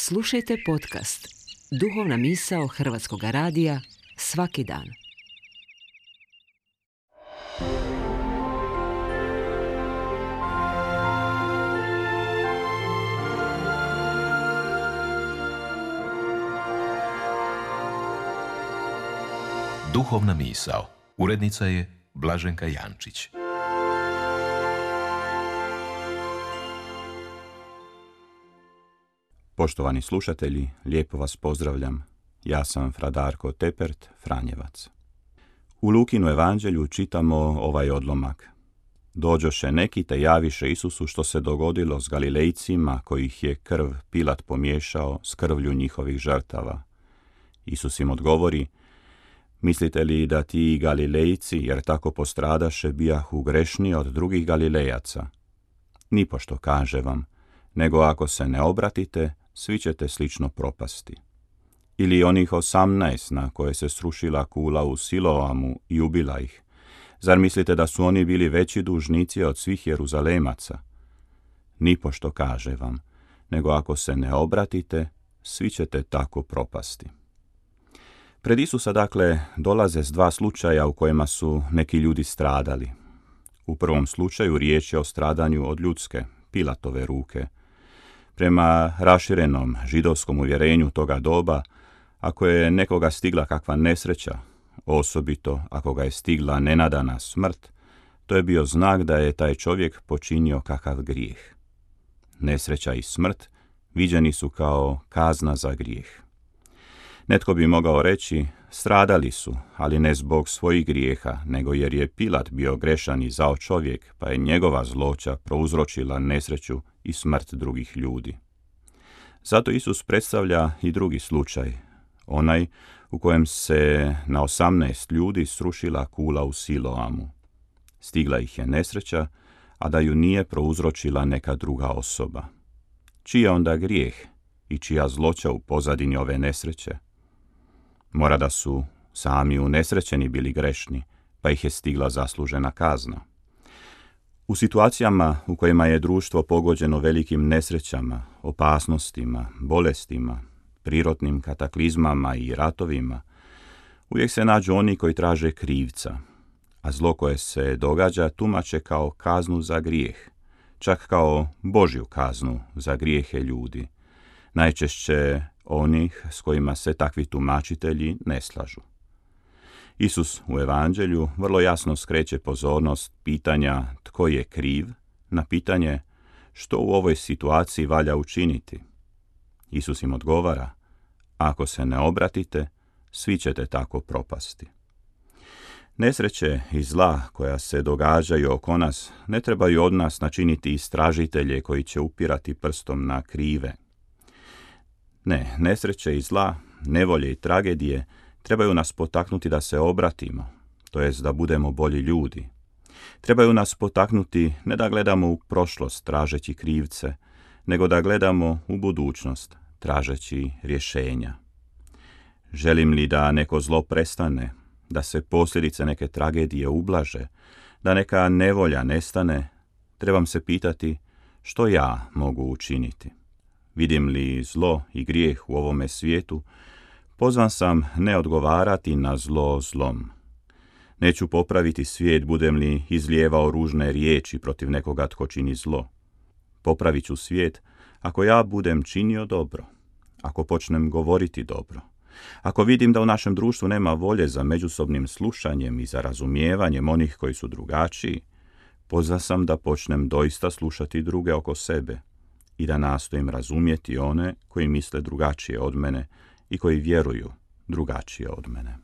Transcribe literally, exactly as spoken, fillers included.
Slušajte podcast Duhovna misao Hrvatskog radija svaki dan. Duhovna misao. Urednica je Blaženka Jančić. Poštovani slušatelji, lijepo vas pozdravljam. Ja sam fra Darko Tepert, Franjevac. U Lukinu evanđelju čitamo ovaj odlomak. Dođoše neki te javiše Isusu što se dogodilo s Galilejcima kojih je krv Pilat pomiješao s krvlju njihovih žrtava. Isus im odgovori: mislite li da ti Galilejci, jer tako postradaše, bijahu grešniji od drugih Galilejaca? Nipošto kaže vam, nego ako se ne obratite, svi ćete slično propasti. Ili onih osamnaest na koje se srušila kula u Siloamu i ubila ih. Zar mislite da su oni bili veći dužnici od svih Jeruzalemaca? Nipošto kaže vam, nego ako se ne obratite, svi ćete tako propasti. Pred Isusa, dakle, dolaze s dva slučaja u kojima su neki ljudi stradali. U prvom slučaju riječ je o stradanju od ljudske, Pilatove ruke. Prema raširenom židovskom uvjerenju toga doba, ako je nekoga stigla kakva nesreća, osobito ako ga je stigla nenadana smrt, to je bio znak da je taj čovjek počinio kakav grijeh. Nesreća i smrt viđeni su kao kazna za grijeh. Netko bi mogao reći, stradali su, ali ne zbog svojih grijeha, nego jer je Pilat bio grešan i zao čovjek, pa je njegova zloća prouzročila nesreću i smrt drugih ljudi. Zato Isus predstavlja i drugi slučaj, onaj u kojem se na osamnaest ljudi srušila kula u Siloamu. Stigla ih je nesreća, a da ju nije prouzročila neka druga osoba. Čiji je onda grijeh i čija zloća u pozadini ove nesreće? Mora da su sami unesrećeni bili grešni, pa ih je stigla zaslužena kazna. U situacijama u kojima je društvo pogođeno velikim nesrećama, opasnostima, bolestima, prirodnim kataklizmama i ratovima, uvijek se nađu oni koji traže krivca, a zlo koje se događa tumače kao kaznu za grijeh, čak kao Božju kaznu za grijehe ljudi, najčešće onih s kojima se takvi tumačitelji ne slažu. Isus u evanđelju vrlo jasno skreće pozornost pitanja tko je kriv na pitanje što u ovoj situaciji valja učiniti. Isus im odgovara: ako se ne obratite, svi ćete tako propasti. Nesreće i zla koja se događaju oko nas ne trebaju od nas načiniti istražitelje koji će upirati prstom na krive. Ne, nesreće i zla, nevolje i tragedije trebaju nas potaknuti da se obratimo, to jest da budemo bolji ljudi. Trebaju nas potaknuti ne da gledamo u prošlost tražeći krivce, nego da gledamo u budućnost tražeći rješenja. Želim li da neko zlo prestane, da se posljedice neke tragedije ublaže, da neka nevolja nestane, trebam se pitati što ja mogu učiniti. Vidim li zlo i grijeh u ovome svijetu, pozvan sam ne odgovarati na zlo zlom. Neću popraviti svijet budem li izlijevao ružne riječi protiv nekoga tko čini zlo. Popravit ću svijet ako ja budem činio dobro, ako počnem govoriti dobro, ako vidim da u našem društvu nema volje za međusobnim slušanjem i za razumijevanjem onih koji su drugačiji, pozvan sam da počnem doista slušati druge oko sebe i da nastojim razumjeti one koji misle drugačije od mene i koji vjeruju drugačije od mene.